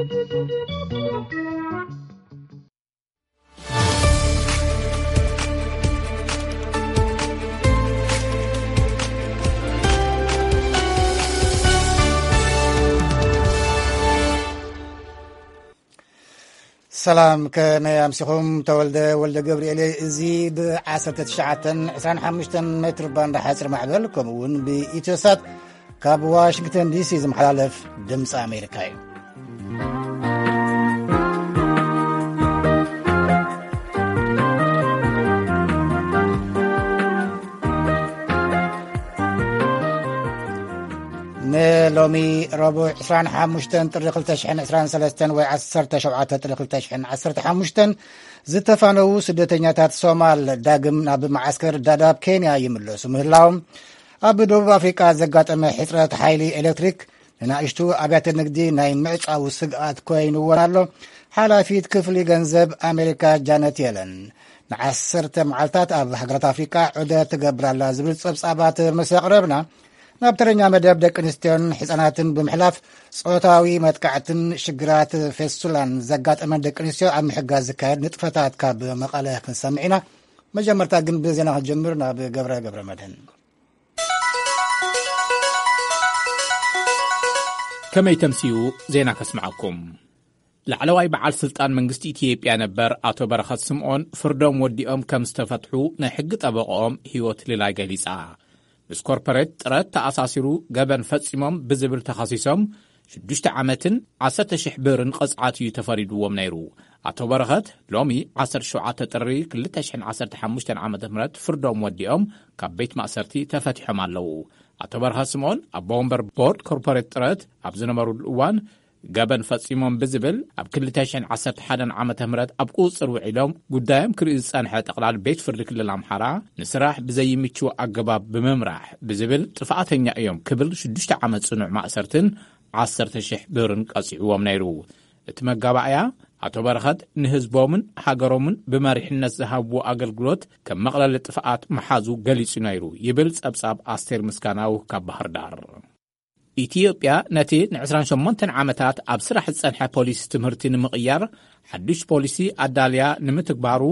ሰላም፣ ከመይ ኣምሲኹም? ተወልደ ወልደ ገብርኤል። እዚ ብ19 25 ሜትር ባንድ ሓፂር ማዕበል፣ ከምኡ እውን ብኢትዮሳት ካብ ዋሽንግተን ዲሲ ዝመሓላለፍ ድምፂ ኣሜሪካ እዩ። ንሎሚ ረቡዕ 25 ጥሪ 2023 ወይ 17 ጥሪ 2015 ዝተፋነዉ ስደተኛታት ሶማል ዳግም ናብ መዓስከር ዳዳብ ኬንያ ይምለሱ ምህላዎም፣ ኣብ ደቡብ ኣፍሪቃ ዘጋጠመ ሕጽረት ሓይሊ ኤሌክትሪክ ንናእሽቱ ኣብያተ ንግዲ ናይ ምዕጻው ስግኣት ኮይንዎን ኣሎ። ሓላፊት ክፍሊ ገንዘብ ኣሜሪካ ጃነት የለን ንዓሰርተ መዓልታት ኣብ ሃገራት ኣፍሪቃ ዑደት ትገብር ኣላ ዝብል ጸብጻባት ምስ ኣቕረብና፣ ናብ ተረኛ መደብ ደቂ ኣንስትዮን ህጻናትን ብምሕላፍ፣ ጾታዊ መጥቃዕትን ሽግራት ፌስቱላን ዘጋጠመን ደቂ ኣንስትዮ ኣብ ምሕጋዝ ዝካየድ ንጥፈታት ካብ መቐለ ክንሰምዕ ኢና። መጀመርታ ግን ብዜና ክንጀምር ናብ ገብረ ገብረ መድህን። ከመይ ተምስዩ ዜና ከስምዓኩም። ላዕለዋይ በዓል ስልጣን መንግስቲ ኢትዮጵያ ነበር ኣቶ በረኸት ስምዖን ፍርዶም ወዲኦም ከም ዝተፈትሑ ናይ ሕጊ ጠበቆኦም ህይወት ልላይ ገሊጻ። ምስ ኮርፖሬት ጥረት ተኣሳሲሩ ገበን ፈጺሞም ብዝብል ተኸሲሶም ሽዱሽተ ዓመትን 10,000 ብርን ቅጽዓት እዩ ተፈሪድዎም ነይሩ። ኣቶ በረኸት ሎሚ 17 ጥሪ 2015 ዓ.ም ፍርዶም ወዲኦም ካብ ቤት ማእሰርቲ ተፈቲሖም ኣለዉ። ኣቶ በረኸት ስምዖን ኣቦ ወንበር ቦርድ ኮርፖሬት ጥረት ኣብ ዝነበሩሉ እዋን ገበን ፈጺሞም ብዝብል ኣብ 2011 ዓ.ም ኣብ ቁጽጽር ውዒሎም ጉዳዮም ክርኢ ዝጸንሐ ጠቕላል ቤት ፍርዲ ክልል ኣምሓራ ንስራሕ ብዘይምችው ኣገባብ ብምምራሕ ብዝብል ጥፍኣተኛ እዮም ክብል ሽዱሽተ ዓመት ጽኑዕ ማእሰርትን 10,000 ብርን ቀጺዕዎም ነይሩ። እቲ መጋባእያ ኣቶ በረኸት ንህዝቦምን ሃገሮምን ብመሪሕነት ዝሃብዎ ኣገልግሎት ከም መቕለሊ ጥፍኣት ምሓዙ ገሊጹ ነይሩ ይብል ጸብጻብ ኣስቴር ምስጋናው ካብ ባህር ዳር። ኢትዮጵያ ነቲ ን28 ዓመታት ኣብ ስራሕ ዝጸንሐ ፖሊሲ ትምህርቲ ንምቕያር ሓድሽ ፖሊሲ ኣዳልያ ንምትግባሩ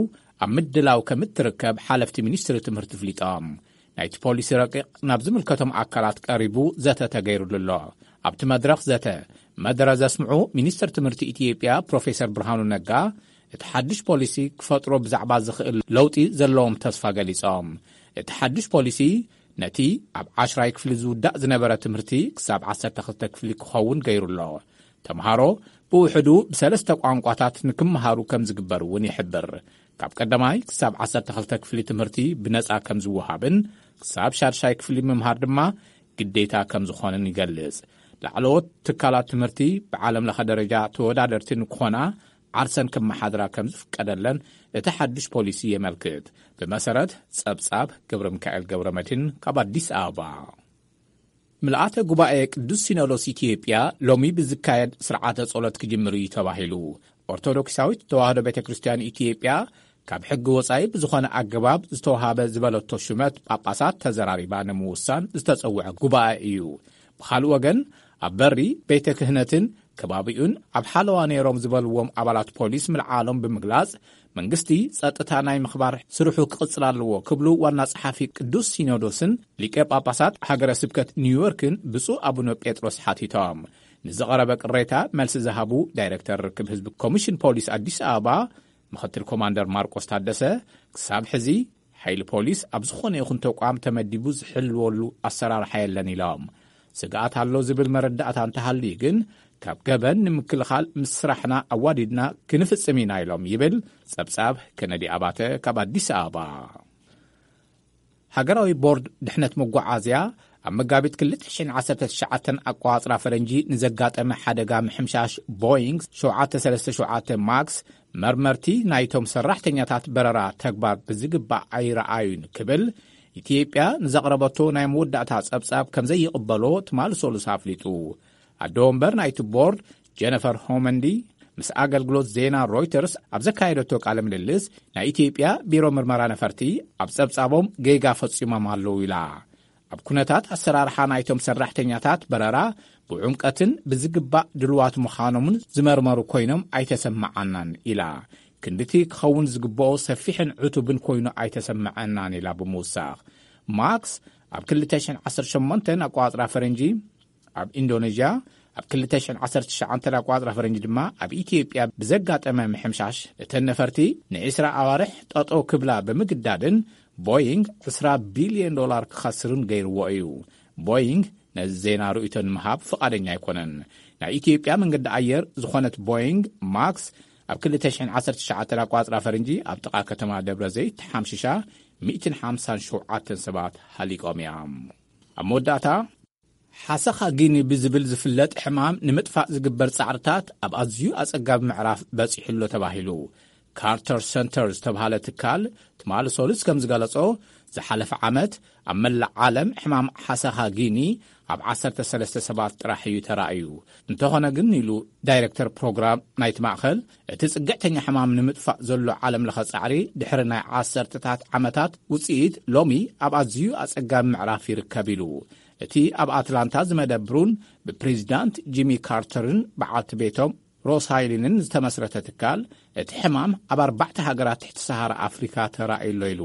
ኣብ ምድላው ከም እትርከብ ሓለፍቲ ሚኒስትሪ ትምህርቲ ኣፍሊጦም። ናይቲ ፖሊሲ ረቂቕ ናብ ዝምልከቶም ኣካላት ቀሪቡ ዘተ ተገይሩሉ ኣሎ። ኣብቲ መድረኽ ዘተ መደረ ዘስምዑ ሚኒስትር ትምህርቲ ኢትዮጵያ ፕሮፌሰር ብርሃኑ ነጋ፣ እቲ ሓድሽ ፖሊሲ ክፈጥሮ ብዛዕባ ዝኽእል ለውጢ ዘለዎም ተስፋ ገሊጾም። እቲ ሓድሽ ፖሊሲ ነቲ ኣብ ዓሽራይ ክፍሊ ዝውዳእ ዝነበረ ትምህርቲ ክሳብ 12 ክፍሊ ክኸውን ገይሩ ኣሎ። ተምሃሮ ብውሕዱ ብሰለስተ ቋንቋታት ንክመሃሩ ከም ዝግበር እውን ይሕብር። ካብ ቀዳማይ ክሳብ 12 ክፍሊ ትምህርቲ ብነጻ ከም ዝወሃብን ክሳብ ሻድሻይ ክፍሊ ምምሃር ድማ ግዴታ ከም ዝኾነን ይገልጽ። ላዕለዎት ትካላት ትምህርቲ ብዓለም ለኸ ደረጃ ተወዳደርቲ ንክኾና ዓርሰን ክመሓድራ ከም ዝፍቀደለን እቲ ሓድሽ ፖሊሲ የመልክት። ብመሰረት ጸብጻብ ገብረ ሚካኤል ገብረ መድህን ካብ ኣዲስ ኣበባ። ምልኣተ ጉባኤ ቅዱስ ሲኖዶስ ኢትዮጵያ ሎሚ ብዝካየድ ስርዓተ ጸሎት ክጅምር እዩ ተባሂሉ። ኦርቶዶክሳዊት ተዋህዶ ቤተ ክርስቲያን ኢትዮጵያ ካብ ሕጊ ወጻኢ ብዝኾነ ኣገባብ ዝተወሃበ ዝበለቶ ሹመት ጳጳሳት ተዘራሪባ ንምውሳን ዝተጸውዐ ጉባኤ እዩ። ብኻልእ ወገን ኣብ በሪ ቤተ ክህነትን ከባቢኡን ኣብ ሓለዋ ነይሮም ዝበልዎም ኣባላት ፖሊስ ምልዓሎም ብምግላጽ መንግስቲ ጸጥታ ናይ ምኽባር ስርሑ ክቕጽል ኣለዎ ክብሉ ዋና ጸሓፊ ቅዱስ ሲኖዶስን ሊቀ ጳጳሳት ሃገረ ስብከት ኒውዮርክን ብፁዕ ኣቡነ ጴጥሮስ ሓቲቶም። ንዝቐረበ ቅሬታ መልሲ ዝሃቡ ዳይሬክተር ርክብ ህዝቢ ኮሚሽን ፖሊስ ኣዲስ ኣበባ ምኽትል ኮማንደር ማርቆስ ታደሰ፣ ክሳብ ሕዚ ሓይሊ ፖሊስ ኣብ ዝኾነ ይኹን ተቋም ተመዲቡ ዝሕልወሉ ኣሰራርሓ የለን ኢሎም። ስግኣት ኣሎ ዝብል መረዳእታ እንተሃልዩ ግን ካብ ገበን ንምክልኻል ምስ ስራሕና ኣዋዲድና ክንፍጽም ኢና ኢሎም ይብል ጸብጻብ ከነዲ ኣባተ ካብ ኣዲስ ኣበባ። ሃገራዊ ቦርድ ድሕነት መጓዓዝያ ኣብ መጋቢት 2019 ኣቋጽራ ፈረንጂ ንዘጋጠመ ሓደጋ ምሕምሻሽ ቦይንግ 737 ማክስ መርመርቲ ናይቶም ሰራሕተኛታት በረራ ተግባር ብዝግባእ ኣይረኣዩን ክብል ኢትዮጵያ ንዘቕረበቶ ናይ መወዳእታ ጸብጻብ ከም ዘይቕበሎ ትማሊ ሰሉስ ኣፍሊጡ። ኣደ ወንበር ናይቲ ቦርድ ጀነፈር ሆመንዲ ምስ ኣገልግሎት ዜና ሮይተርስ ኣብ ዘካየደቶ ቃለ ምልልስ፣ ናይ ኢትዮጵያ ቢሮ ምርመራ ነፈርቲ ኣብ ጸብጻቦም ጌጋ ፈጺሞም ኣለዉ ኢላ። ኣብ ኩነታት ኣሰራርሓ ናይቶም ሰራሕተኛታት በረራ ብዕምቀትን ብዝግባእ ድልዋት ምዃኖምን ዝመርመሩ ኮይኖም ኣይተሰማዓናን ኢላ። ክንድቲ ክኸውን ዝግብኦ ሰፊሕን ዕቱብን ኮይኑ ኣይተሰምዐናን ኢላ ብምውሳኽ፣ ማክስ ኣብ ክልተ ሽሕን ዓሰርተ ሸሞንተን ኣቋጽራ ፈረንጂ ኣብ ኢንዶኔዥያ፣ ኣብ ክልተ ሽሕን ዓሰርተ ትሽዓተን ኣቋጽራ ፈረንጂ ድማ ኣብ ኢትዮጵያ ብዘጋጠመ ምሕምሻሽ፣ እተን ነፈርቲ ንዒስራ ኣዋርሕ ጠጠው ክብላ ብምግዳድን ቦይንግ ዕስራ ቢልዮን ዶላር ክኸስርን ገይርዎ እዩ። ቦይንግ ነዚ ዜና ርእይቶ ንምሃብ ፍቓደኛ ኣይኮነን። ናይ ኢትዮጵያ መንገዲ ኣየር ዝኾነት ቦይንግ ማክስ ኣብ ክልተ ሽሕን ዓሰርተ ትሽዓተን ኣቋጽራ ፈረንጂ ኣብ ጥቓ ከተማ ደብረ ዘይት ተሓምሺሻ፣ ሚእትን ሓምሳን ሸውዓተን ሰባት ሃሊቆም እያ። ኣብ መወዳእታ፣ ሓሰኻ ጊኒ ብዝብል ዝፍለጥ ሕማም ንምጥፋእ ዝግበር ጻዕርታት ኣብ ኣዝዩ ኣጸጋቢ ምዕራፍ በጺሑ ኣሎ ተባሂሉ። ካርተር ሰንተር ዝተባህለ ትካል ትማሊ ሰሉስ ከም ዝገለጾ፣ ዝሓለፈ ዓመት ኣብ መላእ ዓለም ሕማም ሓሰኻ ጊኒ ኣብ ዓሰርተ ሰለስተ ሰባት ጥራሕ እዩ ተራእዩ። እንተኾነ ግን፣ ኢሉ ዳይሬክተር ፕሮግራም ናይቲ ማእኸል፣ እቲ ጽግዕተኛ ሕማም ንምጥፋእ ዘሎ ዓለም ለኸ ጻዕሪ ድሕሪ ናይ ዓሰርተታት ዓመታት ውጽኢት፣ ሎሚ ኣብ ኣዝዩ ኣጸጋሚ ምዕራፍ ይርከብ ኢሉ። እቲ ኣብ ኣትላንታ ዝመደብሩን ብፕሬዚዳንት ጂሚ ካርተርን በዓልቲ ቤቶም ሮስ ሃይሊንን ዝተመስረተ ትካል፣ እቲ ሕማም ኣብ ኣርባዕተ ሃገራት ትሕቲ ሰሃራ ኣፍሪካ ተራእዩ ኣሎ ኢሉ።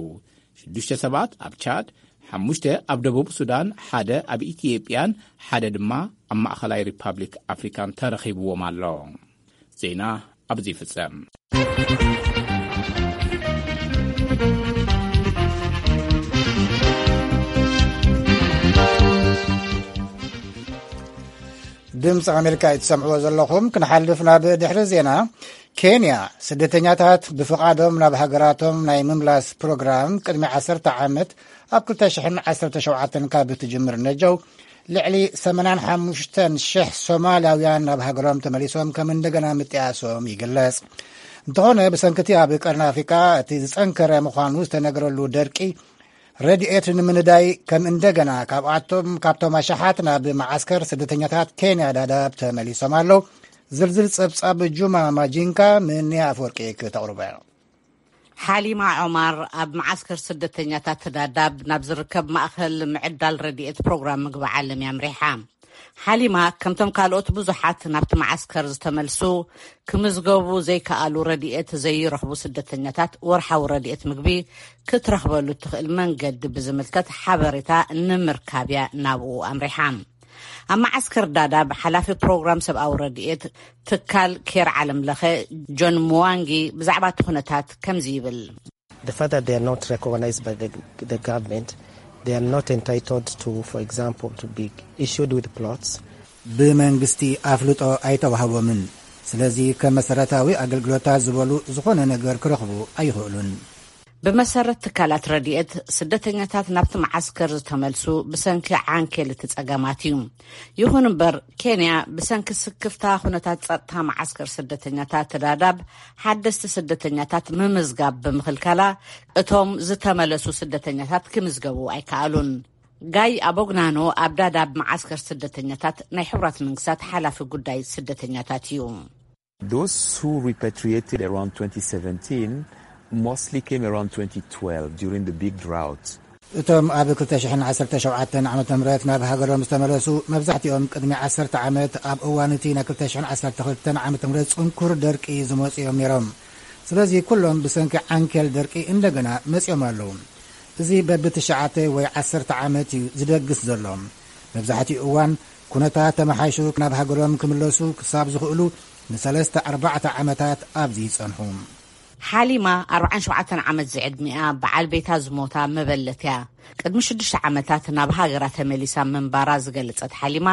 ሽዱሽተ ሰባት ኣብ ቻድ፣ ሓሙሽተ ኣብ ደቡብ ሱዳን፣ ሓደ ኣብ ኢትዮጵያን ሓደ ድማ ኣብ ማእኸላይ ሪፓብሊክ ኣፍሪካን ተረኺብዎም ኣሎ። ዜና ኣብዚ ይፍጸም። ድምፂ ኣሜሪካ እዩ ትሰምዕዎ ዘለኹም። ክንሓልፍ ናብ ድሕሪ ዜና። ኬንያ ስደተኛታት ብፍቓዶም ናብ ሃገራቶም ናይ ምምላስ ፕሮግራም ቅድሚ ዓሰርተ ዓመት ኣብ ክልተ ሽሕን ዓሰርተ ሸውዓተን ካብ እትጅምር ነጀው፣ ልዕሊ ሰማንያን ሓሙሽተን ሽሕ ሶማልያውያን ናብ ሃገሮም ተመሊሶም ከም እንደገና ምጥያሶም ይግለጽ። እንተኾነ፣ ብሰንክቲ ኣብ ቀርኒ ኣፍሪቃ እቲ ዝጸንከረ ምዃኑ ዝተነገረሉ ደርቂ፣ ረድኤት ንምንዳይ ከም እንደገና ካብኣቶም፣ ካብቶም ኣሽሓት ናብ መዓስከር ስደተኛታት ኬንያ ዳዳብ ተመሊሶም ኣለዉ። ዝርዝር ጸብጻብ ጁማ ማጂንካ፣ ምንያ ኣፈወርቂ ክተቕርቦ። ሓሊማ ዑማር ኣብ መዓስከር ስደተኛታት ዳዳብ ናብ ዝርከብ ማእከል ምዕዳል ረድኤት ፕሮግራም ምግቢ ዓለም እያ ኣምሪሓ። ሓሊማ፣ ከምቶም ካልኦት ብዙሓት ናብቲ መዓስከር ዝተመልሱ፣ ክምዝገቡ ዘይከኣሉ ረድኤት ዘይረኽቡ ስደተኛታት ወርሓዊ ረድኤት ምግቢ ክትረኽበሉ እትኽእል መንገዲ ብዝምልከት ሓበሬታ ንምርካብ እያ ናብኡ ኣምሪሓ። ኣብ መዓስከር ዳዳብ ሓላፊ ፕሮግራም ሰብኣዊ ረድኤት ትካል ኬር ዓለም ለኸ ጆን ሙዋንጊ ብዛዕባ እቲ ኩነታት ከምዚ ይብል። The fact that they are not recognized by the, the government, they are not entitled to, for example, to be issued with plots. ብመንግስቲ ኣፍልጦ ኣይተዋህቦምን። ስለዚ ከም መሰረታዊ ኣገልግሎታት ዝበሉ ዝኾነ ነገር ክረኽቡ ኣይኽእሉን። ብመሰረት ትካላት ረድኤት፣ ስደተኛታት ናብቲ መዓስከር ዝተመልሱ ብሰንኪ ዓንኬል እቲ ጸገማት እዩ። ይኹን እምበር፣ ኬንያ ብሰንኪ ስክፍታ ኩነታት ጸጥታ መዓስከር ስደተኛታት ዳዳብ ሓደስቲ ስደተኛታት ምምዝጋብ ብምኽልካላ፣ እቶም ዝተመለሱ ስደተኛታት ክምዝገቡ ኣይከኣሉን። ጋይ ኣቦግናኖ ኣብ ዳዳብ መዓስከር ስደተኛታት ናይ ሕቡራት መንግስታት ሓላፊ ጉዳይ ስደተኛታት እዩ። Those who repatriated around twenty seventeen mostly came around twenty twelve during the big drought. እቶም ኣብ ክልተ ሽሕን ዓሰርተ ሸውዓተን ዓመተ ምህረት ናብ ሃገሮም ዝተመለሱ፣ መብዛሕትኦም ቅድሚ ዓሰርተ ዓመት ኣብ እዋን እቲ ናይ ክልተ ሽሕን ዓሰርተ ክልተን ዓመተ ምህረት ጽንኩር ደርቂ ዝመጹ እዮም ነይሮም። ስለዚ ኩሎም ብሰንኪ ዓንኬል ደርቂ እንደገና መጺኦም ኣለዉ። እዚ በብትሽዓተ ወይ ዓሰርተ ዓመት እዩ ዝደግስ ዘሎ። መብዛሕትኡ እዋን ኩነታት ተመሓይሹ ናብ ሃገሮም ክምለሱ ክሳብ ዝኽእሉ ንሰለስተ ኣርባዕተ ዓመታት ኣብዚ ይጸንሑ። ሓሊማ ኣርባዓን ሸውዓተን ዓመት ዝዕድሚኣ በዓል ቤታ ዝሞታ መበለት እያ። ቅድሚ ሽዱሽተ ዓመታት ናብ ሃገራ ተመሊሳ ምንባራ ዝገለጸት ሓሊማ፣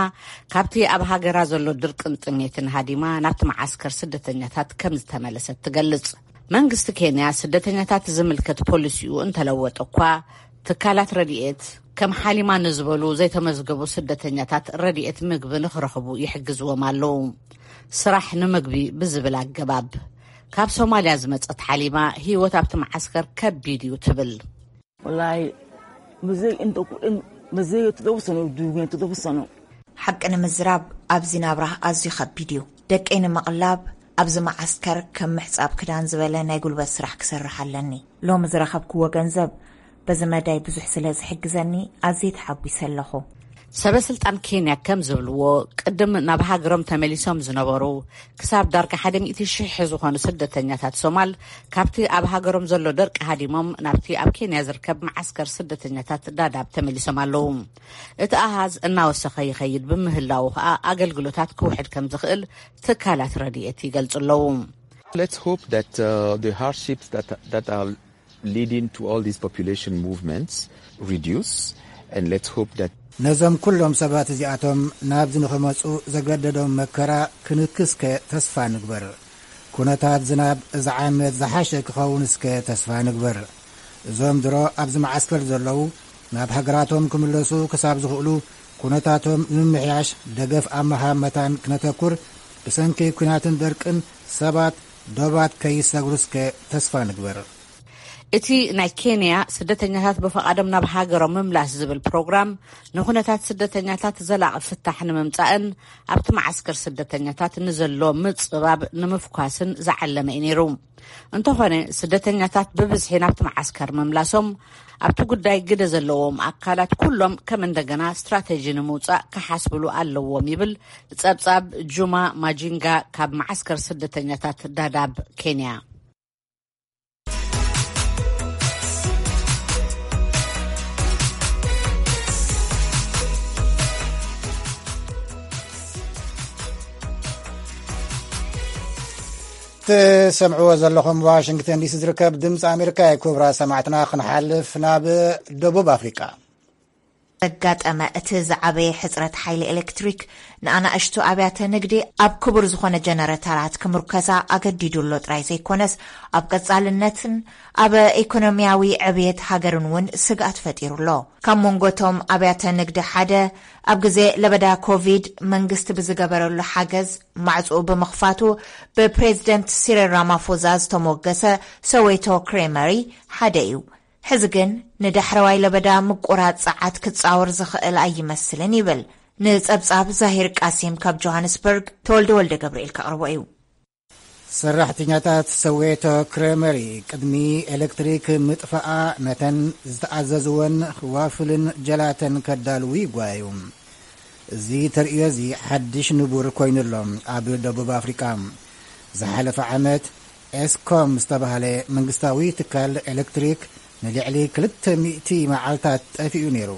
ካብቲ ኣብ ሃገራ ዘሎ ድርቅን ጥሜትን ሃዲማ ናብቲ መዓስከር ስደተኛታት ከም ዝተመለሰት ትገልጽ። መንግስቲ ኬንያ ስደተኛታት ዝምልከት ፖሊሲኡ እንተለወጠ እኳ፣ ትካላት ረድኤት ከም ሓሊማ ንዝበሉ ዘይተመዝገቡ ስደተኛታት ረድኤት ምግቢ ንኽረኽቡ ይሕግዝዎም ኣለዉ። ስራሕ ንምግቢ ብዝብል ኣገባብ። ካብ ሶማልያ ዝመጸት ሓሊማ፣ ህይወት ኣብቲ መዓስከር ከቢድ እዩ ትብል። Wallahi, mzee inta ku dhin, mzee toddoba sano uu duugeen, toddoba sano. ሓቂ ንምዝራብ፣ ኣብዚ ናብራ ኣዝዩ ከቢድ እዩ። ደቀይ ንምቕላብ ኣብዚ መዓስከር ከም ምሕጻብ ክዳን ዝበለ ናይ ጉልበት ስራሕ ክሰርሕ ኣለኒ። ሎሚ ዝረኸብክዎ ገንዘብ በዚ መዳይ ብዙሕ ስለ ዝሕግዘኒ ኣዝየ ተሓጒሰ ኣለኹ። ሰበ ስልጣን ኬንያ ከም ዝብልዎ፣ ቅድም ናብ ሃገሮም ተመሊሶም ዝነበሩ ክሳብ ዳርጋ ሓደ ሚእቲ ሽሕ ዝኾኑ ስደተኛታት ሶማል ካብቲ ኣብ ሃገሮም ዘሎ ደርቂ ሃዲሞም ናብቲ ኣብ ኬንያ ዝርከብ መዓስከር ስደተኛታት ዳዳብ ተመሊሶም ኣለዉ። እቲ ኣሃዝ እናወሰኸ ይኸይድ ብምህላዉ ከኣ ኣገልግሎታት ክውሕድ ከም ዝኽእል ትካላት ረድኤት ይገልጹ ኣለዉ። Let's hope that uh, the hardships that, that are leading to all these population movements reduce, and let's hope that ነዞም ኩሎም ሰባት እዚኣቶም ናብዚ ንኽመጹ ዘገደዶም መከራ ክንክስከ ተስፋ ንግበር። ኩነታት ዝናብ እዚ ዓመት ዝሓሸ ክኸውን እስከ ተስፋ ንግበር። እዞም ድሮ ኣብዚ መዓስከር ዘለዉ ናብ ሃገራቶም ክምለሱ ክሳብ ዝኽእሉ ኩነታቶም ንምምሕያሽ ደገፍ ኣብ ምሃብ መታን ክነተኩር፣ ብሰንኪ ኲናትን ደርቅን ሰባት ዶባት ከይሰግሩ እስከ ተስፋ ንግበር። እቲ ናይ ኬንያ ስደተኛታት ብፍቓዶም ናብ ሃገሮም ምምላስ ዝብል ፕሮግራም ንኹነታት ስደተኛታት ዘላቒ ፍታሕ ንምምጻእን ኣብቲ መዓስከር ስደተኛታት ንዘሎ ምጽባብ ንምፍኳስን ዝዓለመ እዩ ነይሩ። እንተኾነ ስደተኛታት ብብዝሒ ናብቲ መዓስከር ምምላሶም ኣብቲ ጉዳይ ግደ ዘለዎም ኣካላት ኩሎም ከም እንደገና ስትራተጂ ንምውጻእ ክሓስብሉ ኣለዎም ይብል ጸብጻብ ጁማ ማጂንጋ ካብ መዓስከር ስደተኛታት ዳዳብ ኬንያ። ትሰምዕዎ ዘለኹም ዋሽንግተን ዲሲ ዝርከብ ድምፂ ኣሜሪካ እዩ። ክቡራት ሰማዕትና፣ ክንሓልፍ ናብ ደቡብ ኣፍሪቃ። ዘጋጠመ እቲ ዝዓበየ ሕጽረት ሓይሊ ኤሌክትሪክ ንኣናእሽቱ ኣብያተ ንግዲ ኣብ ክቡር ዝኾነ ጀነረተራት ክምርከሳ ኣገዲዱ ኣሎ ጥራይ ዘይኮነስ፣ ኣብ ቀጻልነትን ኣብ ኢኮኖሚያዊ ዕብየት ሃገርን እውን ስግኣት ፈጢሩ ኣሎ። ካብ መንጎቶም ኣብያተ ንግዲ ሓደ ኣብ ግዜ ለበዳ ኮቪድ መንግስቲ ብዝገበረሉ ሓገዝ ማዕጽኡ ብምኽፋቱ ብፕሬዝደንት ሲሪል ራማፎዛ ዝተሞገሰ ሰዌቶ ክሬመሪ ሓደ እዩ። ሕዚ ግን ንዳሕረዋይ ለበዳ ምቁራጽ ጸዓት ክጻወር ዝኽእል ኣይመስልን ይብል ንጸብጻብ ዛሂር ቃሲም ካብ ጆሃንስበርግ ተወልደ ወልደ ገብርኤል ከቕርቦ እዩ። ሰራሕተኛታት ሰዌቶ ክሬመሪ ቅድሚ ኤሌክትሪክ ምጥፋኣ ነተን ዝተኣዘዝወን ዋፍልን ጀላተን ከዳልዉ ይጓዩ። እዚ ተርእዮ እዚ ሓድሽ ንቡር ኮይኑሎም ኣብ ደቡብ ኣፍሪቃ። ዝሓለፈ ዓመት ኤስኮም ዝተባህለ መንግስታዊ ትካል ኤሌክትሪክ ንልዕሊ ክልተ ሚእቲ መዓልታት ጠፊኡ ነይሩ።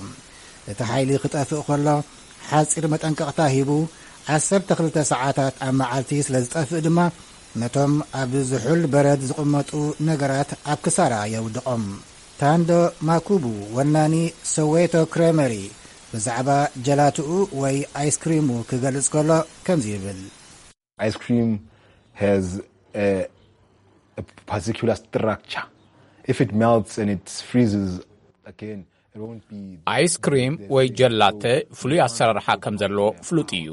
እቲ ሓይሊ ክጠፍእ ከሎ ሓጺር መጠንቀቕታ ሂቡ ዓሰርተ ክልተ ሰዓታት ኣብ መዓልቲ ስለ ዝጠፍእ ድማ ነቶም ኣብ ዝሑል በረድ ዝቕመጡ ነገራት ኣብ ክሳራ የውድቖም። ታንዶ ማኩቡ ወናኒ ሰዌቶ ክሬመሪ ብዛዕባ ጀላትኡ ወይ ኣይስክሪሙ ክገልጽ ከሎ ከምዚ ይብል። Ice cream has a, a particular structure. If it melts and it freezes again, it won't be. ኣይስክሪም ወይ ጀላተ ፍሉይ ኣሰራርሓ ከም ዘለዎ ፍሉጥ እዩ።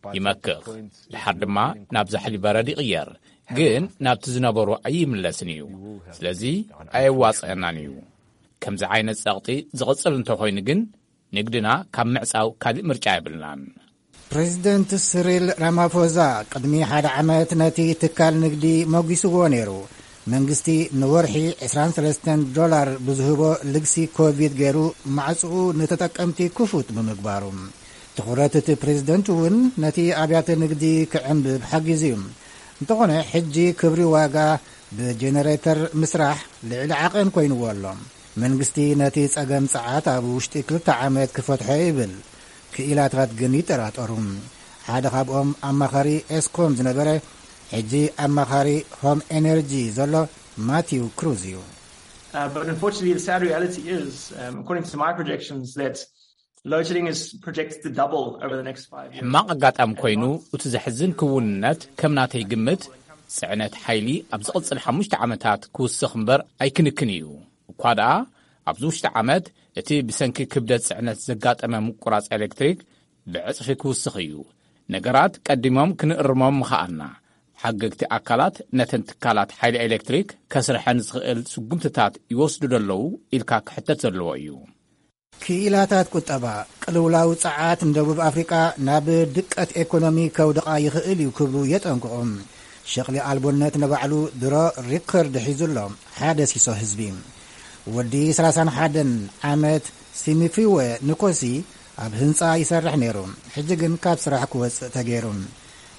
ይመክኽ፣ ድሓር ድማ ናብ ዛሕሊ በረድ ይቕየር፣ ግን ናብቲ ዝነበሮ ኣይምለስን እዩ። ስለዚ ኣየዋጽአናን እዩ። ከምዚ ዓይነት ጸቕጢ ዝቕጽል እንተኾይኑ ግን ንግድና ካብ ምዕጻው ካልእ ምርጫ የብልናን። ፕሬዚደንት ስሪል ራማፎዛ ቅድሚ ሓደ ዓመት ነቲ ትካል ንግዲ መጒስዎ ነይሩ። መንግስቲ ንወርሒ ዕስራን ሰለስተን ዶላር ብዝህቦ ልግሲ ኮቪድ ገይሩ ማዕጽኡ ንተጠቀምቲ ክፉት ብምግባሩ። ትኹረት እቲ ፕሬዚደንት እውን ነቲ ኣብያተ ንግዲ ክዕንብብ ሓጊዙ እዩ። እንተኾነ ሕጂ ክብሪ ዋጋ ብጀነሬተር ምስራሕ ልዕሊ ዓቐን ኮይንዎ ኣሎ። መንግስቲ ነቲ ጸገም ጸዓት ኣብ ውሽጢ ክልተ ዓመት ክፈትሖ ይብል። ክኢላታት ግን ይጠራጠሩ። ሓደ ካብኦም ኣማኻሪ ኤስኮም ዝነበረ ሕጂ ኣማኻሪ ሆም ኤነርጂ ዘሎ ማቲው ክሩዝ እዩ። Uh, but unfortunately, the sad reality is, um, according to my projections, that load shedding is projected to double over the next five years. ሕማቕ ኣጋጣሚ ኮይኑ፣ እቲ ዘሕዝን ክውንነት ከም ናተይ ግምት ጽዕነት ሓይሊ ኣብ ዝቕጽል ሓሙሽተ ዓመታት ክውስኽ እምበር ኣይክንክን እዩ። እኳ ደኣ ኣብዚ ውሽጢ ዓመት እቲ ብሰንኪ ክብደት ጽዕነት ዘጋጠመ ምቁራጽ ኤሌክትሪክ ብዕጽፊ ክውስኽ እዩ። ነገራት ቀዲሞም ክንእርሞም ምኸኣልና። ሓገግቲ ኣካላት ነተን ትካላት ሓይሊ ኤሌክትሪክ ከስርሐን ዝኽእል ስጉምትታት ይወስዱ ዶ ኣለዉ ኢልካ ክሕተት ዘለዎ እዩ። ክኢላታት ቁጠባ፣ ቅልውላው ጸዓት ንደቡብ ኣፍሪቃ ናብ ድቀት ኤኮኖሚ ከውድቓ ይኽእል እዩ ክብሉ የጠንቅቑ። ሸቕሊ ኣልቦነት ንባዕሉ ድሮ ሪከርድ ሒዙ ኣሎ፣ ሓደ ሲሶ ህዝቢ። ወዲ ሰላሳን ሓደን ዓመት ሲሚፊወ ንኮሲ ኣብ ህንጻ ይሰርሕ ነይሩ። ሕጂ ግን ካብ ስራሕ ክወጽእ ተገይሩ።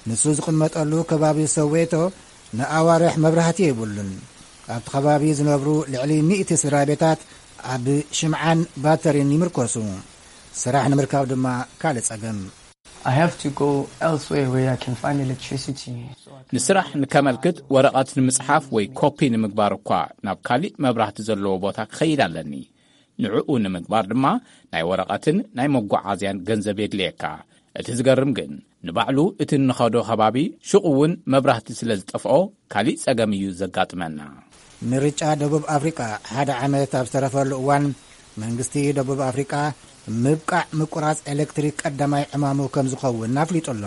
ንሱ ዝቕመጠሉ ከባቢ ሶዌቶ ንኣዋርሕ መብራህቲ የብሉን። ኣብቲ ከባቢ ዝነብሩ ልዕሊ ሚእቲ ስድራ ቤታት ኣብ ሽምዓን ባተሪን ይምርኮሱ። ስራሕ ንምርካብ ድማ ካልእ ጸገም። I have to go elsewhere where I can find electricity. So I can- ንስራሕ ንከመልክት ወረቐት ንምጽሓፍ ወይ ኮፒ ንምግባር እኳ ናብ ካሊእ መብራህቲ ዘለዎ ቦታ ክኸይድ ኣለኒ። ንዕኡ ንምግባር ድማ ናይ ወረቐትን ናይ መጓዓዝያን ገንዘብ የድልየካ። እቲ ዝገርም ግን ንባዕሉ እቲ እንኸዶ ከባቢ ሽቑ እውን መብራህቲ ስለ ዝጠፍኦ ካሊእ ጸገም እዩ ዘጋጥመና። ምርጫ ደቡብ ኣፍሪቃ ሓደ ዓመት ኣብ ዝተረፈሉ እዋን መንግስቲ ደቡብ ኣፍሪቃ ምብቃዕ ምቁራጽ ኤሌክትሪክ ቀዳማይ ዕማሙ ከም ዝኸውን ኣፍሊጡ ኣሎ።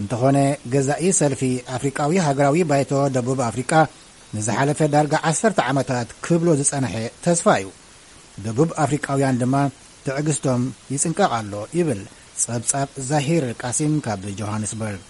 እንተኾነ ገዛኢ ሰልፊ ኣፍሪቃዊ ሃገራዊ ባይቶ ደቡብ ኣፍሪቃ ንዝሓለፈ ዳርጋ ዓሰርተ ዓመታት ክብሎ ዝጸንሐ ተስፋ እዩ። ደቡብ ኣፍሪቃውያን ድማ ትዕግስቶም ይጽንቀቕ ኣሎ ይብል ጸብጻብ ዛሂር ቃሲም ካብ ጆሃንስበርግ።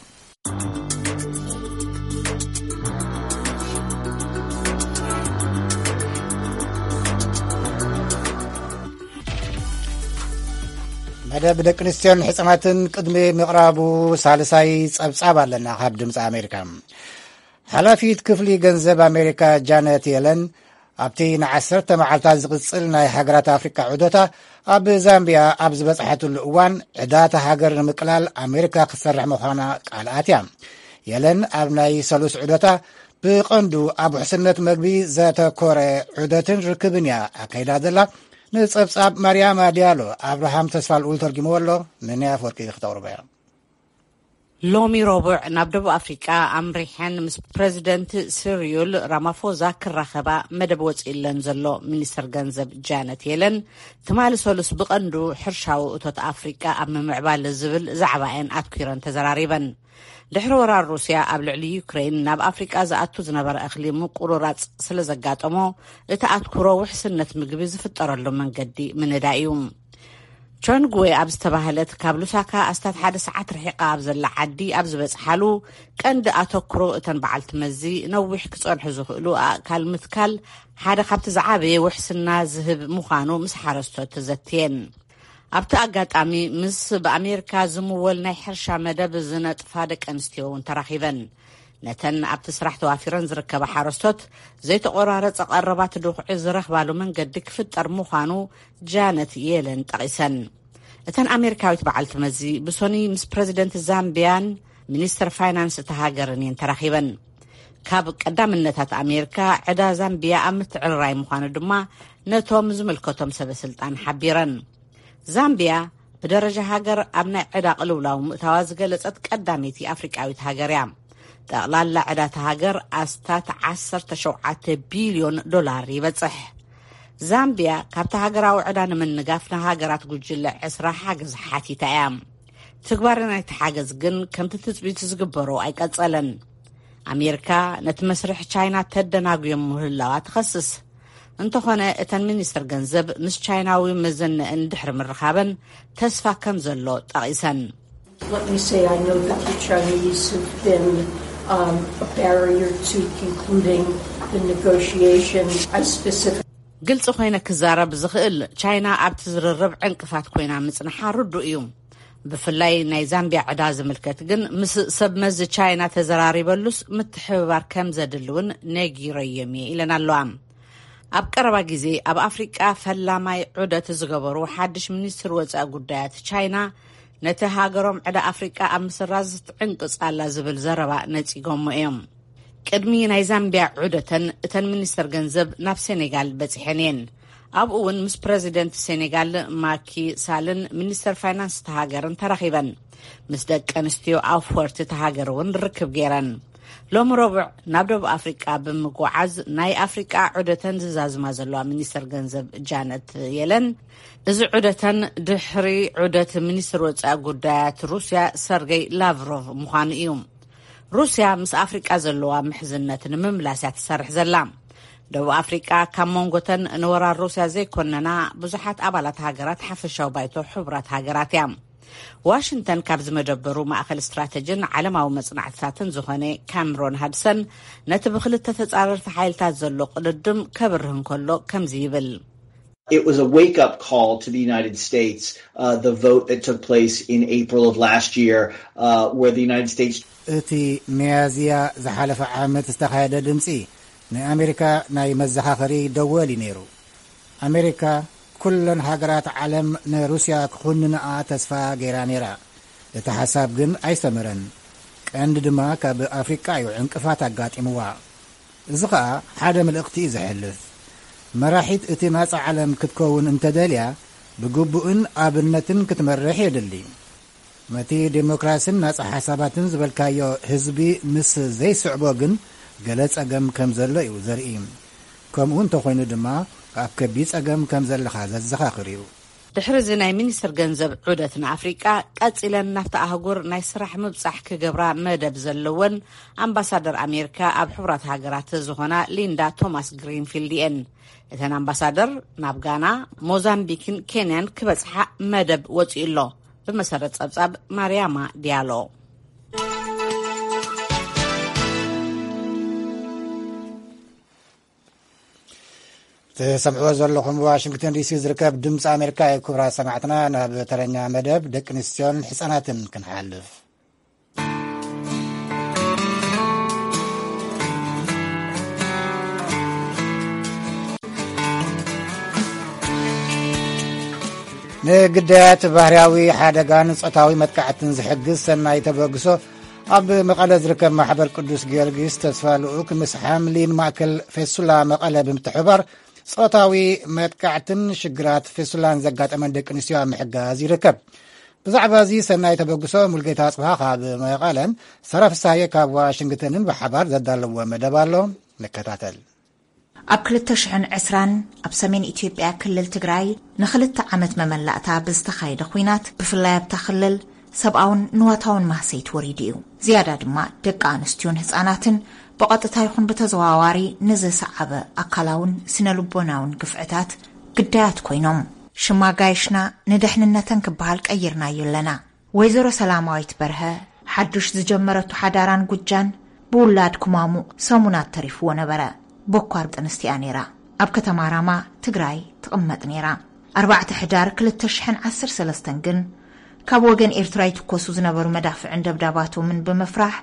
መደብ ደቂ ኣንስትዮን ሕጻናትን ቅድሚ ምቕራቡ ሳልሳይ ጸብጻብ ኣለና ካብ ድምፂ ኣሜሪካ። ሓላፊት ክፍሊ ገንዘብ ኣሜሪካ ጃነት የለን ኣብቲ ንዓሰርተ መዓልታት ዝቕጽል ናይ ሃገራት ኣፍሪቃ ዑደታ ኣብ ዛምቢያ ኣብ ዝበጽሐትሉ እዋን ዕዳታ ሃገር ንምቅላል ኣሜሪካ ክትሰርሕ ምዃና ቃል ኣትያ። የለን ኣብ ናይ ሰሉስ ዑደታ ብቐንዱ ኣብ ውሕስነት መግቢ ዘተኮረ ዑደትን ርክብን እያ ኣካይዳ ዘላ። ንጸብጻብ ማርያማ ዲያሎ ኣብርሃም ተስፋ ልኡል ተርጊምዎ ኣሎ። ነናይ ኣፈወርቂ ክተቕርቦ እያ። ሎሚ ረቡዕ ናብ ደቡብ ኣፍሪቃ ኣምሪሐን ምስ ፕረዚደንት ሲሪዩል ራማፎዛ ክራኸባ መደብ ወፂእለን ዘሎ ሚኒስተር ገንዘብ ጃነት የለን፣ ትማሊ ሰሉስ ብቐንዱ ሕርሻዊ እቶት ኣፍሪቃ ኣብ ምምዕባል ዝብል ዛዕባኤን ኣትኲረን ተዘራሪበን። ድሕሪ ወራር ሩስያ ኣብ ልዕሊ ዩክሬን ናብ ኣፍሪቃ ዝኣቱ ዝነበረ እኽሊ ምቁርራፅ ስለ ዘጋጠሞ፣ እቲ ኣትኩሮ ውሕስነት ምግቢ ዝፍጠረሉ መንገዲ ምንዳይ እዩ። ቾንግዌ ኣብ ዝተባህለት ካብ ሉሳካ ኣስታት ሓደ ሰዓት ርሒቓ ኣብ ዘላ ዓዲ ኣብ ዝበጽሓሉ፣ ቀንዲ ኣተኩሮ እተን በዓልቲ መዚ ነዊሕ ክጸንሑ ዝኽእሉ ኣእካል ምትካል ሓደ ካብቲ ዝዓበየ ውሕስና ዝህብ ምዃኑ ምስ ሓረስቶት ተዘትየን። ኣብቲ ኣጋጣሚ ምስ ብኣሜሪካ ዝምወል ናይ ሕርሻ መደብ ዝነጥፋ ደቂ ኣንስትዮ እውን ተራኺበን። ነተን ኣብቲ ስራሕ ተዋፊረን ዝርከባ ሓረስቶት ዘይተቖራረጸ ቀረባት ድኹዒ ዝረኽባሉ መንገዲ ክፍጠር ምዃኑ ጃነት የለን ጠቒሰን። እተን ኣሜሪካዊት በዓልቲ መዚ ብሶኒ ምስ ፕረዚደንት ዛምቢያን ሚኒስተር ፋይናንስ እታ ሃገርን እየን ተራኺበን። ካብ ቀዳምነታት ኣሜሪካ ዕዳ ዛምቢያ ኣብ ምትዕርራይ ምዃኑ ድማ ነቶም ዝምልከቶም ሰበ ስልጣን ሓቢረን። ዛምቢያ ብደረጃ ሃገር ኣብ ናይ ዕዳ ቅልውላው ምእታዋ ዝገለጸት ቀዳመይቲ ኣፍሪቃዊት ሃገር እያ። ጠቕላላ ዕዳታ ሃገር ኣስታት ዓሰርተ ሸውዓተ ቢልዮን ዶላር ይበጽሕ። ዛምቢያ ካብቲ ሃገራዊ ዕዳ ንምንጋፍ ንሃገራት ጉጅለ ዕስራ ሓገዝ ሓቲታ እያ። ትግባረ ናይቲ ሓገዝ ግን ከምቲ ትጽቢት ዝግበሮ ኣይቀጸለን። ኣሜሪካ ነቲ መስርሕ ቻይና ተደናጉዮም ምህላዋ ትኸስስ። እንተኾነ እተን ሚኒስትር ገንዘብ ምስ ቻይናዊ መዘነእን ድሕሪ ምርኻበን ተስፋ ከም ዘሎ ጠቒሰን። Let me say, I know that the Chinese have been um, a barrier to concluding the negotiation. I specifically ግልፂ ኮይነ ክዛረብ ዝኽእል ቻይና ኣብቲ ዝርርብ ዕንቅፋት ኮይና ምፅንሓ ርዱእ እዩ። ብፍላይ ናይ ዛምቢያ ዕዳ ዝምልከት ግን ምስ ሰብ መዚ ቻይና ተዘራሪበሉስ ምትሕብባር ከም ዘድሊ እውን ነጊረዮም እየ ኢለን ኣለዋ። ኣብ ቀረባ ግዜ ኣብ ኣፍሪቃ ፈላማይ ዑደት ዝገበሩ ሓድሽ ሚኒስትር ወፃኢ ጉዳያት ቻይና ነቲ ሃገሮም ዕዳ ኣፍሪቃ ኣብ ምስራዝ ትዕንቅፅ ኣላ ዝብል ዘረባ ነፂጎሞ እዮም። ቅድሚ ናይ ዛምቢያ ዑደተን እተን ሚኒስተር ገንዘብ ናብ ሴኔጋል በፂሐን እየን። ኣብኡ እውን ምስ ፕረዚደንት ሴኔጋል ማኪ ሳልን ሚኒስተር ፋይናንስ እታ ሃገርን ተራኺበን። ምስ ደቂ ኣንስትዮ ኣፍወርቲ እታ ሃገር እውን ርክብ ገይረን። ሎሚ ረቡዕ ናብ ደቡብ ኣፍሪቃ ብምጉዓዝ ናይ ኣፍሪቃ ዑደተን ዝዛዝማ ዘለዋ ሚኒስተር ገንዘብ ጃነት የለን፣ እዚ ዑደተን ድሕሪ ዑደት ሚኒስትር ወፃኢ ጉዳያት ሩስያ ሰርገይ ላቭሮቭ ምዃኑ እዩ። ሩስያ ምስ ኣፍሪቃ ዘለዋ ምሕዝነት ንምምላስ እያ ትሰርሕ ዘላ። ደቡብ ኣፍሪቃ ካብ መንጎተን ንወራር ሩስያ ዘይኮነና ብዙሓት ኣባላት ሃገራት ሓፈሻዊ ባይቶ ሕቡራት ሃገራት እያ። ዋሽንግተን ካብ ዝመደበሩ ማእኸል ስትራተጂን ዓለማዊ መጽናዕትታትን ዝኾነ ካምሮን ሃድሰን፣ ነቲ ብክልተ ተጻረርቲ ሓይልታት ዘሎ ቅድድም ከብርህ እንከሎ ከምዚ ይብል። It was a wake-up call to the United States, uh, the vote that took place in April of last year, uh, where the United States እቲ ሚያዝያ ዝሓለፈ ዓመት ዝተኻየደ ድምፂ ንኣሜሪካ ናይ መዘኻኸሪ ደወል እዩ ነይሩ። ኣሜሪካ ኩለን ሃገራት ዓለም ንሩስያ ክኹንንኣ ተስፋ ገይራ ነይራ። እቲ ሓሳብ ግን ኣይሰመረን። ቀንዲ ድማ ካብ ኣፍሪቃ እዩ ዕንቅፋት ኣጋጢምዋ። እዚ ኸኣ ሓደ መልእኽቲ እዩ ዘሕልፍ። መራሒት እቲ ናጻ ዓለም ክትከውን እንተደልያ፣ ብግቡእን ኣብነትን ክትመርሕ የድሊ። ነቲ ዴሞክራስን ናጻ ሓሳባትን ዝበልካዮ ህዝቢ ምስ ዘይስዕቦ ግን፣ ገለ ጸገም ከም ዘሎ እዩ ዘርኢ። ከምኡ እንተኾይኑ ድማ፣ ኣብ ከቢድ ጸገም ከም ዘለኻ ዘዘኻኽር እዩ። ድሕሪ እዚ ናይ ሚኒስትር ገንዘብ ዑደት ንኣፍሪቃ፣ ቀጺለን ናብታ ኣህጉር ናይ ስራሕ ምብጻሕ ክገብራ መደብ ዘለወን ኣምባሳደር ኣሜሪካ ኣብ ሕቡራት ሃገራት ዝኾና ሊንዳ ቶማስ ግሪንፊልድ እየን። እተን ኣምባሳደር ናብ ጋና፣ ሞዛምቢክን ኬንያን ክበጽሓ መደብ ወጺኡ ኣሎ። ብመሰረት ጸብጻብ ማርያማ ዲያሎ። ትሰምዕዎ ዘለኹም ዋሽንግተን ዲሲ ዝርከብ ድምፂ ኣሜሪካ እዩ። ክቡራት ሰማዕትና፣ ናብ ተረኛ መደብ ደቂ ኣንስትዮን ህፃናትን ክንሓልፍ። ንግዳያት ባህርያዊ ሓደጋን ጾታዊ መጥቃዕትን ዝሕግዝ ሰናይ ተበግሶ ኣብ መቐለ ዝርከብ ማሕበር ቅዱስ ጊዮርጊስ ተስፋ ልኡክ ምስ ሓምሊን ማእከል ፌሱላ መቐለ ብምትሕብባር ጾታዊ መጥቃዕትን ሽግራት ፌሱላን ዘጋጠመን ደቂ ኣንስትዮ ኣብ ምሕጋዝ ይርከብ። ብዛዕባ እዚ ሰናይ ተበግሶ ሙልጌታ ኣጽብሃ ካብ መቐለን ሰራ ፍሳየ ካብ ዋሽንግተንን ብሓባር ዘዳለዎ መደብ ኣሎ። ንከታተል። ኣብ ክልተ ሽሕን ዕስራን ኣብ ሰሜን ኢትዮጵያ ክልል ትግራይ ንኽልተ ዓመት መመላእታ ብዝተኻየደ ኲናት፣ ብፍላይ ኣብታ ክልል ሰብኣውን ንዋታውን ማህሰይት ወሪዱ እዩ። ዝያዳ ድማ ደቂ ኣንስትዮን ህጻናትን ብቐጥታ ይኹን ብተዘዋዋሪ ንዝሰዓበ ኣካላውን ስነ ልቦናውን ግፍዕታት ግዳያት ኮይኖም። ሽማ ጋይሽና ንደሕንነተን ክበሃል ቀይርናዮ ኣለና። ወይዘሮ ሰላማዊት በርሀ ሓዱሽ ዝጀመረቱ ሓዳራን ጉጃን ብውላድ ክማሙቕ ሰሙናት ተሪፍዎ ነበረ። በኳር ጥንስቲያ ነይራ። ኣብ ከተማ ራማ ትግራይ ትቕመጥ ነይራ። ኣርባዕተ ሕዳር ክልተ ሽሕን ዓሰርተ ሰለስተን ግን ካብ ወገን ኤርትራ ይትኮሱ ዝነበሩ መዳፍዕን ደብዳባቶምን ብምፍራሕ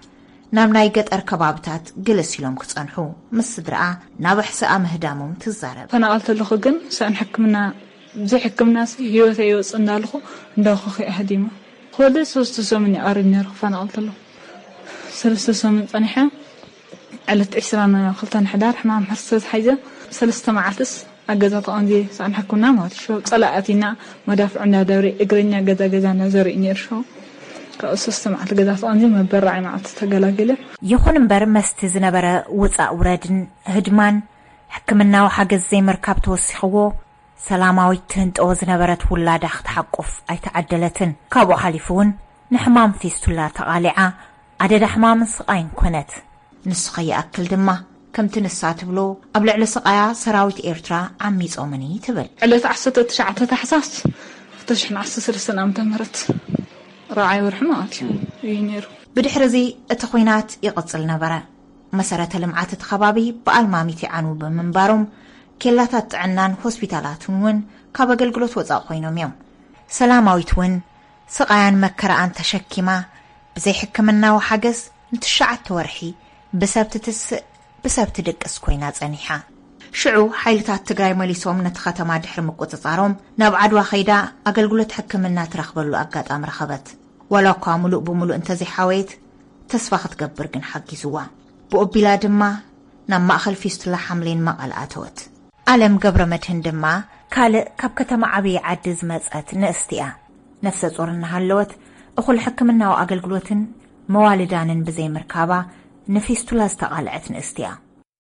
ናብ ናይ ገጠር ከባብታት ግልስ ኢሎም ክጸንሑ ምስ ስድራኣ ናብ ኣሕስኣ ምህዳሞም ትዛረብ። ተፈናቐልቲ ኣለኹ ግን ሰእን ሕክምና ብዘይ ሕክምናሲ ህይወተይ ይወፅእ እንዳልኹ እንዳኹ ከይኣህዲማ። ክወልድ ሰለስተ ሰሙን ይቐርብ ነይሩ ክፈናቐል ተለኹ። ሰለስተ ሰሙን ፀኒሐ ዕለት ዕስራን ክልተን ሕዳር ሕማም ሕርሲ ተታሒዘ ሰለስተ መዓልትስ ኣብ ገዛ ተቐምዜ ሰኣን ሕክምና ማለት ሸው ፀላእ ኣቲና መዳፍዑ እንዳደብሪ እግረኛ ገዛ ገዛ እንዳዘርኢ ነይሩ ሸው ካብኡ ሰለስተ መዓልቲ ገዛ ተቐምዜ መበራዒ መዓልቲ ተገላጊለ። ይኹን እምበር መስቲ ዝነበረ ውፃእ ውረድን ህድማን ሕክምናዊ ሓገዝ ዘይምርካብ ተወሲኽዎ ሰላማዊት ትህንጠዎ ዝነበረት ውላዳ ክትሓቁፍ ኣይተዓደለትን። ካብኡ ሓሊፉ እውን ንሕማም ፊስቱላ ተቓሊዓ ኣደዳ ሕማምን ስቓይን ኮነት። ንሱ ከይኣክል ድማ ከምቲ ንሳ ትብሎ ኣብ ልዕሊ ስቓያ ሰራዊት ኤርትራ ዓሚጾምኒ ትብል። ዕለት ዓሰርተ ትሽዓተ ታሕሳስ ክልተ ሽሕን ዓሰርተ ሰለስተን ዓመተ ምህረት ራብዓይ ወርሒ ማለት እዩ እዩ ነይሩ። ብድሕሪ እዚ እቲ ኹናት ይቕጽል ነበረ። መሰረተ ልምዓት እቲ ከባቢ ብኣልማሚት ይዓንዉ ብምንባሮም ኬላታት ጥዕናን ሆስፒታላትን እውን ካብ ኣገልግሎት ወጻእ ኮይኖም እዮም። ሰላማዊት እውን ስቓያን መከራኣን ተሸኪማ ብዘይ ሕክምናዊ ሓገዝ ንትሽዓተ ወርሒ ብሰብ ትትስእ ብሰብ ትድቅስ ኮይና ጸኒሓ። ሽዑ ሓይልታት ትግራይ መሊሶም ነቲ ከተማ ድሕሪ ምቁጽጻሮም ናብ ዓድዋ ከይዳ ኣገልግሎት ሕክምና ትረኽበሉ ኣጋጣሚ ረኸበት። ዋላ እኳ ሙሉእ ብሙሉእ እንተዘይሓወየት ተስፋ ክትገብር ግን ሓጊዝዋ። ብኦቢላ ድማ ናብ ማእኸል ፊስቱላ ሓምሌን መቐለ ኣተወት። ኣለም ገብረ መድህን ድማ ካልእ ካብ ከተማ ዓብዪ ዓዲ ዝመጸት ንእስቲ እያ። ነፍሰ ጾር እናሃለወት እኹል ሕክምናዊ ኣገልግሎትን መዋልዳንን ብዘይምርካባ ንፊስቱላ ዝተቓልዐት ንእስቲ እያ።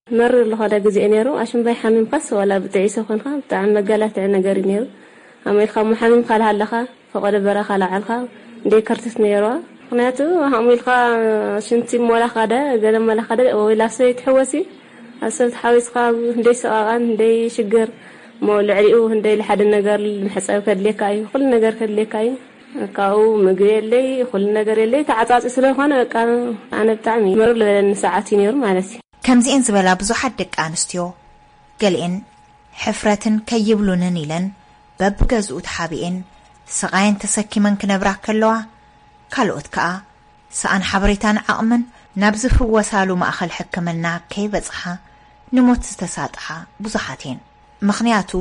መሪር ዝኾነ ግዜ ነይሩ። ኣሽምባይ ሓሚምካስ ዋላ ብጥዒሶ ኮንካ ብጣዕሚ መጋላትዒ ነገር እዩ ነይሩ። ኣሞ ኢልካ እሞ ሓሚምካ ላሃለኻ ፈቐዶ በረኻ ላዓልካ እንደ ከርትት ነይርዋ። ምኽንያቱ ኣሞ ኢልካ ሽንቲ ሞላ ካደ ገለ መላ ካደ ወይ ላሰ ይትሕወሲ ኣብ ሰብ ተሓዊስካ እንደይ ሰቓቓን እንደይ ሽግር እሞ ልዕሊኡ እንደይ ልሓደ ነገር መሕፀብ ከድልየካ እዩ፣ ኩሉ ነገር ከድልየካ እዩ። ካብኡ ምግቢ የለይ፣ ኩሉ ነገር የለይ፣ ተዓጻጺ ስለዝኾነ በቃ ኣነ ብጣዕሚ መረር ዝበለኒ ሰዓት እዩ ነይሩ ማለት እዩ። ከምዚኤን ዝበላ ብዙሓት ደቂ ኣንስትዮ፣ ገሊኤን ሕፍረትን ከይብሉንን ኢለን በብገዝኡ ተሓቢኤን ስቓየን ተሰኪመን ክነብራ ከለዋ፣ ካልኦት ከኣ ሰኣን ሓበሬታን ዓቕምን ናብ ዝፍወሳሉ ማእኸል ሕክምና ከይበጽሓ ንሞት ዝተሳጥሓ ብዙሓት እየን። ምኽንያቱ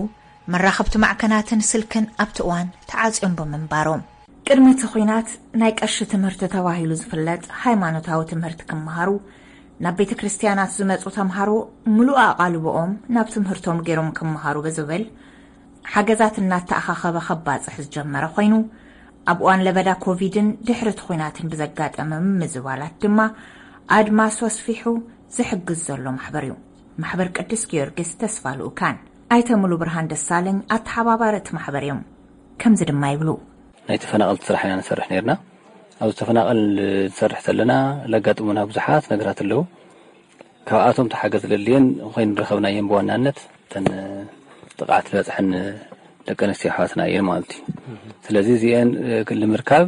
መራኸብቲ ማዕከናትን ስልክን ኣብቲ እዋን ተዓጽዮም ብምንባሮም። ቅድሚ እቲ ኲናት ናይ ቀሺ ትምህርቲ ተባሂሉ ዝፍለጥ ሃይማኖታዊ ትምህርቲ ክመሃሩ ናብ ቤተ ክርስቲያናት ዝመጹ ተምሃሮ ምሉእ ኣቓልቦኦም ናብ ትምህርቶም ገይሮም ክመሃሩ ብዝብል ሓገዛት እናተኣኻኸበ ከባጽሕ ዝጀመረ ኮይኑ፣ ኣብ እዋን ለበዳ ኮቪድን ድሕሪ እቲ ኲናትን ብዘጋጠመ ምምዝባላት ድማ ኣድማሱ ኣስፊሑ ዝሕግዝ ዘሎ ማሕበር እዩ። ማሕበር ቅዱስ ጊዮርጊስ ተስፋ ልኡካን ኣይተ ሙሉ ብርሃን ደሳለኝ ኣተሓባባሪ እቲ ማሕበር እዮም። ከምዚ ድማ ይብሉ። ናይ ተፈናቐልቲ ስራሕ ኢና ንሰርሕ ነርና። ኣብ ተፈናቐል ንሰርሕ ዘለና ለጋጥሙና ብዙሓት ነገራት ኣለዉ። ካብኣቶም ተሓገዝ ለልየን ኮይኑ ረኸብናየን ብዋናነት እተን ጥቕዓት ዝበፅሐን ደቂ ኣንስትዮ ኣሕዋትና እየን ማለት እዩ። ስለዚ እዚአን ንምርካብ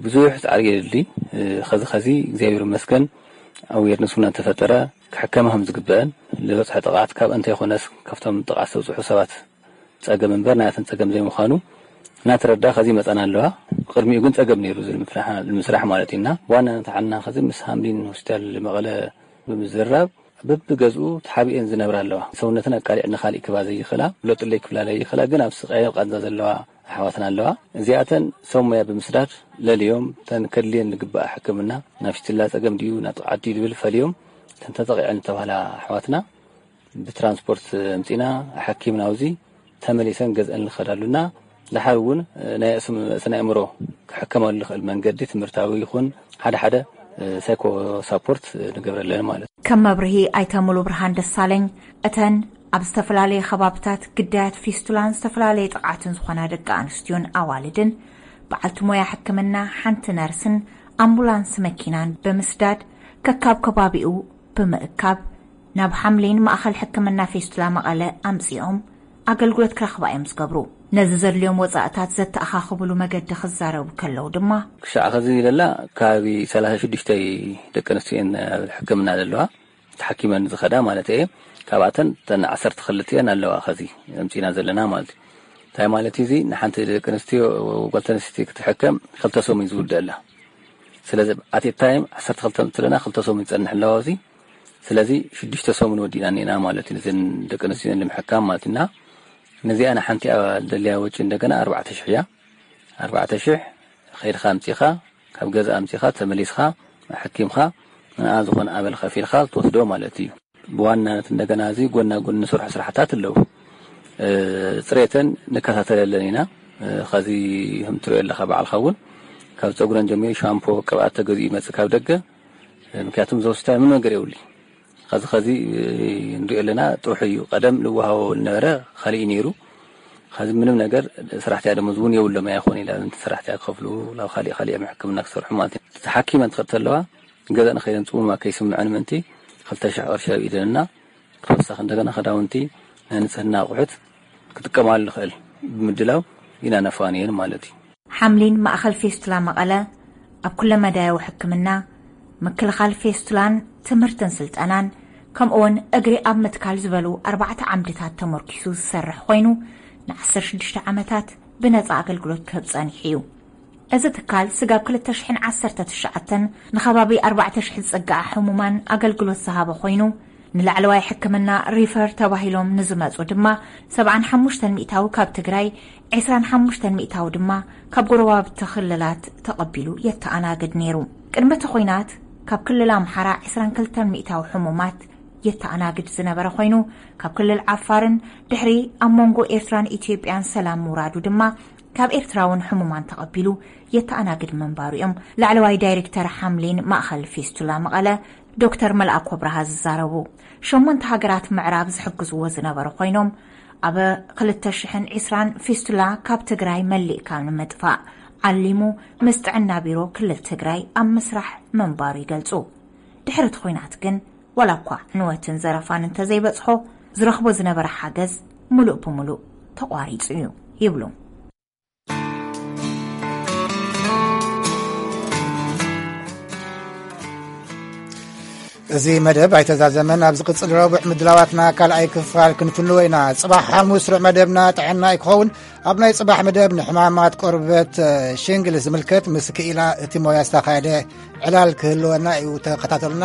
ብዙሕ ፃዕሪ የድሊ። ከዚ ከዚ እግዚኣብሔር ይመስገን ኣዌርነስ እውን እናተፈጠረ ክሕከማ ከም ዝግበአን ዝበፅሐ ጥቕዓት ካብ እንተ ይኮነስ ካብቶም ጥቕዓት ዝተብፅሑ ሰባት ፀገም እምበር ናያተን ፀገም ዘይምዃኑ እናተረዳ ከዚ ይመፃና ኣለዋ። ብቅድሚኡ ግን ፀገም ነይሩ እዚ ንምፍላሕ ንምስራሕ ማለት እዩና ብዋናነት ዓና ከዚ ምስ ሃምሊን ሆስፒታል መቐለ ብምዝራብ በብገዝኡ ተሓቢኤን ዝነብራ ኣለዋ። ሰውነተን ኣቃሊዕ ንካሊእ ክባ ዘይኽእላ ብሎጥለይ ክብላ ዘይኽእላ ግን ኣብ ስቃይ ኣብ ቃንዛ ዘለዋ ኣሕዋትና ኣለዋ። እዚኣተን ሰብ ሞያ ብምስዳድ ለልዮም ተን ከድልየን ዝግባኣ ሕክምና ናብ ፊስትላ ፀገም ድዩ ናብ ጥቕዓት ድዩ ዝብል ፈልዮም ተን ተጠቂዐን ዝተባህላ ኣሕዋትና ብትራንስፖርት ኣምፂና ኣሓኪምና ኣብዚ ተመሊሰን ገዝአን ንኸዳሉና ድሓር እውን ናይ ስነ ኣእምሮ ክሕከመሉ ዝኽእል መንገዲ ትምህርታዊ ይኹን ሓደ ሓደ ሳይኮ ሳፖርት ንገብረለን ማለት እዩ። ከም መብርሂ ኣይተ ሙሉ ብርሃን ደሳለኝ እተን ኣብ ዝተፈላለየ ከባብታት ግዳያት ፊስቱላን ዝተፈላለየ ጥቕዓትን ዝኾና ደቂ ኣንስትዮን ኣዋልድን በዓልቲ ሞያ ሕክምና ሓንቲ ነርስን ኣምቡላንስ መኪናን ብምስዳድ ከካብ ከባቢኡ ብምእካብ ናብ ሓምሊን ማእኸል ሕክምና ፌስቱላ መቐለ ኣምጺኦም ኣገልግሎት ክረኽባ እዮም ዝገብሩ። ነዚ ዘድልዮም ወጻእታት ዘተኣኻኽብሉ መገዲ ክዛረቡ ከለዉ ድማ ክሻዕ ኸዚ ኢለላ ከባቢ ሰላሳ ሽዱሽተ ደቂ ኣንስትዮ እየን ኣብ ሕክምና ዘለዋ ተሓኪመን ዝኸዳ ማለት እየ። ካብኣተን ተን ዓሰርተ ክልተ እየን ኣለዋ ኸዚ ኣምጺና ዘለና ማለት እዩ። እንታይ ማለት እዩ እዚ ንሓንቲ ደቂ ኣንስትዮ ጓል ኣንስተይቲ ክትሕከም ክልተ ሰሙን እዩ ዝውደአላ። ስለዚ ኣት ታይም ዓሰርተ ክልተ ምትለና ክልተ ሰሙን ይጸንሕ ኣለዋ እዚ ስለዚ ሽዱሽተ ሰሙን ወዲእና እኒና ማለት እዩ። እዘን ደቂ ኣንስትዮ ንምሕካም ማለት እና ነዚኣ ንሓንቲኣ ደልያ ወጪ እንደገና ኣርባዕተ ሽሕ እያ። ኣርባዕተ ሽሕ ኸይድኻ ኣምፂኻ ካብ ገዛ ኣምፂኻ ተመሊስኻ ኣሐኪምኻ ንኣ ዝኾነ ኣበል ከፊልካ ትወስዶ ማለት እዩ። ብዋናነት እንደገና እዚ ጎና ጎን ንሰርሖ ስራሕታት ኣለዉ። ጽሬተን ንከታተለለን ኢና። ከዚ ከም ትሪኦ ኣለኻ ባዕልኻ እውን ካብ ፀጉረን ጀሚሩ ሻምፖ ቅብኣት ተገዚኡ ይመፅእ ካብ ደገ። ምክንያቱም እዚ ሆስፒታል ምንም ነገር የብሉ። ከዚ ከዚ ንሪኦ ኣለና ጥርሑ እዩ። ቀደም ልወሃቦ ዝነበረ ካሊእ ነይሩ። ከዚ ምንም ነገር ሰራሕተኛ ደሞዝ እውን የብሎም ኣይኮን ኢላ ሰራሕተኛ ክኸፍሉ ናብ ካሊእ ካሊእ ሕክምና ክሰርሑ ማለት እዩ። ተሓኪመን ትኸድ ተለዋ ገዛ ንኸይደን ፅሙማ ከይስምዐን ምእንቲ ክልተ ሽሕ ቅርሺ ኣብ ኢደንና ተወሳኺ እንደገና ክዳውንቲ ናይ ንፅህና ኣቑሑት ክጥቀማሉ ንኽእል ብምድላው ኢና ነፋንየን ማለት እዩ። ሓምሊን ማእኸል ፌስቱላ መቐለ ኣብ ኩለ መዳያዊ ሕክምና ምክልኻል ፌስቱላን ትምህርትን ስልጠናን ከምኡውን እግሪ ኣብ ምትካል ዝበሉ ኣርባዕተ ዓምድታት ተመርኪሱ ዝሰርሕ ኮይኑ ንዓሰርተ ሽዱሽተ ዓመታት ብነፃ ኣገልግሎት ክህብ ፀኒሑ እዩ። እዚ ትካል ስጋብ ክልተ ሽሕን ዓሰርተ ትሽዓተን ንኸባቢ ኣርባዕተ ሽሕ ዝፅግዓ ሕሙማን ኣገልግሎት ዝሃበ ኮይኑ ንላዕለዋይ ሕክምና ሪፈር ተባሂሎም ንዝመፁ ድማ ሰብዓን ሓሙሽተን ሚእታዊ ካብ ትግራይ፣ ዕስራን ሓሙሽተን ሚእታዊ ድማ ካብ ጎረባብቲ ክልላት ተቐቢሉ የተኣናግድ ነይሩ። ቅድሚ እቲ ኹናት ካብ ክልል ኣምሓራ ዕስራን ክልተን ሚእታዊ ሕሙማት የተኣናግድ ዝነበረ ኮይኑ ካብ ክልል ዓፋርን ድሕሪ ኣብ መንጎ ኤርትራን ኢትዮጵያን ሰላም ምውራዱ ድማ ካብ ኤርትራ እውን ሕሙማን ተቐቢሉ የተኣናግድ ምንባሩ እዮም ላዕለዋይ ዳይሬክተር ሓምሊን ማእኸል ፌስቱላ መቐለ ዶክተር መልኣኮ ብርሃ ዝዛረቡ። ሸሞንተ ሃገራት ምዕራብ ዝሕግዝዎ ዝነበሩ ኮይኖም ኣብ ክልተ ሽሕን ዕስራን ፌስቱላ ካብ ትግራይ መሊእካ ንምጥፋእ ዓሊሙ ምስ ጥዕና ቢሮ ክልል ትግራይ ኣብ ምስራሕ ምንባሩ ይገልፁ። ድሕሪ እቲ ኹናት ግን ዋላ እኳ ዕንወትን ዘረፋን እንተዘይበፅሖ ዝረኽቦ ዝነበረ ሓገዝ ሙሉእ ብሙሉእ ተቋሪፁ እዩ ይብሉ። እዚ መደብ ኣይተዛዘመን። ኣብ ዝቕጽል ረቡዕ ምድላዋትና ካልኣይ ክፋል ክንፍንዎ ኢና። ጽባሕ ሓሙስ ርዕ መደብና ጥዕና እዩ ክኸውን። ኣብ ናይ ጽባሕ መደብ ንሕማማት ቆርበት ሽንግል ዝምልከት ምስ ክኢላ እቲ ሞያ ዝተኻየደ ዕላል ክህልወና እዩ። ተኸታተሉና።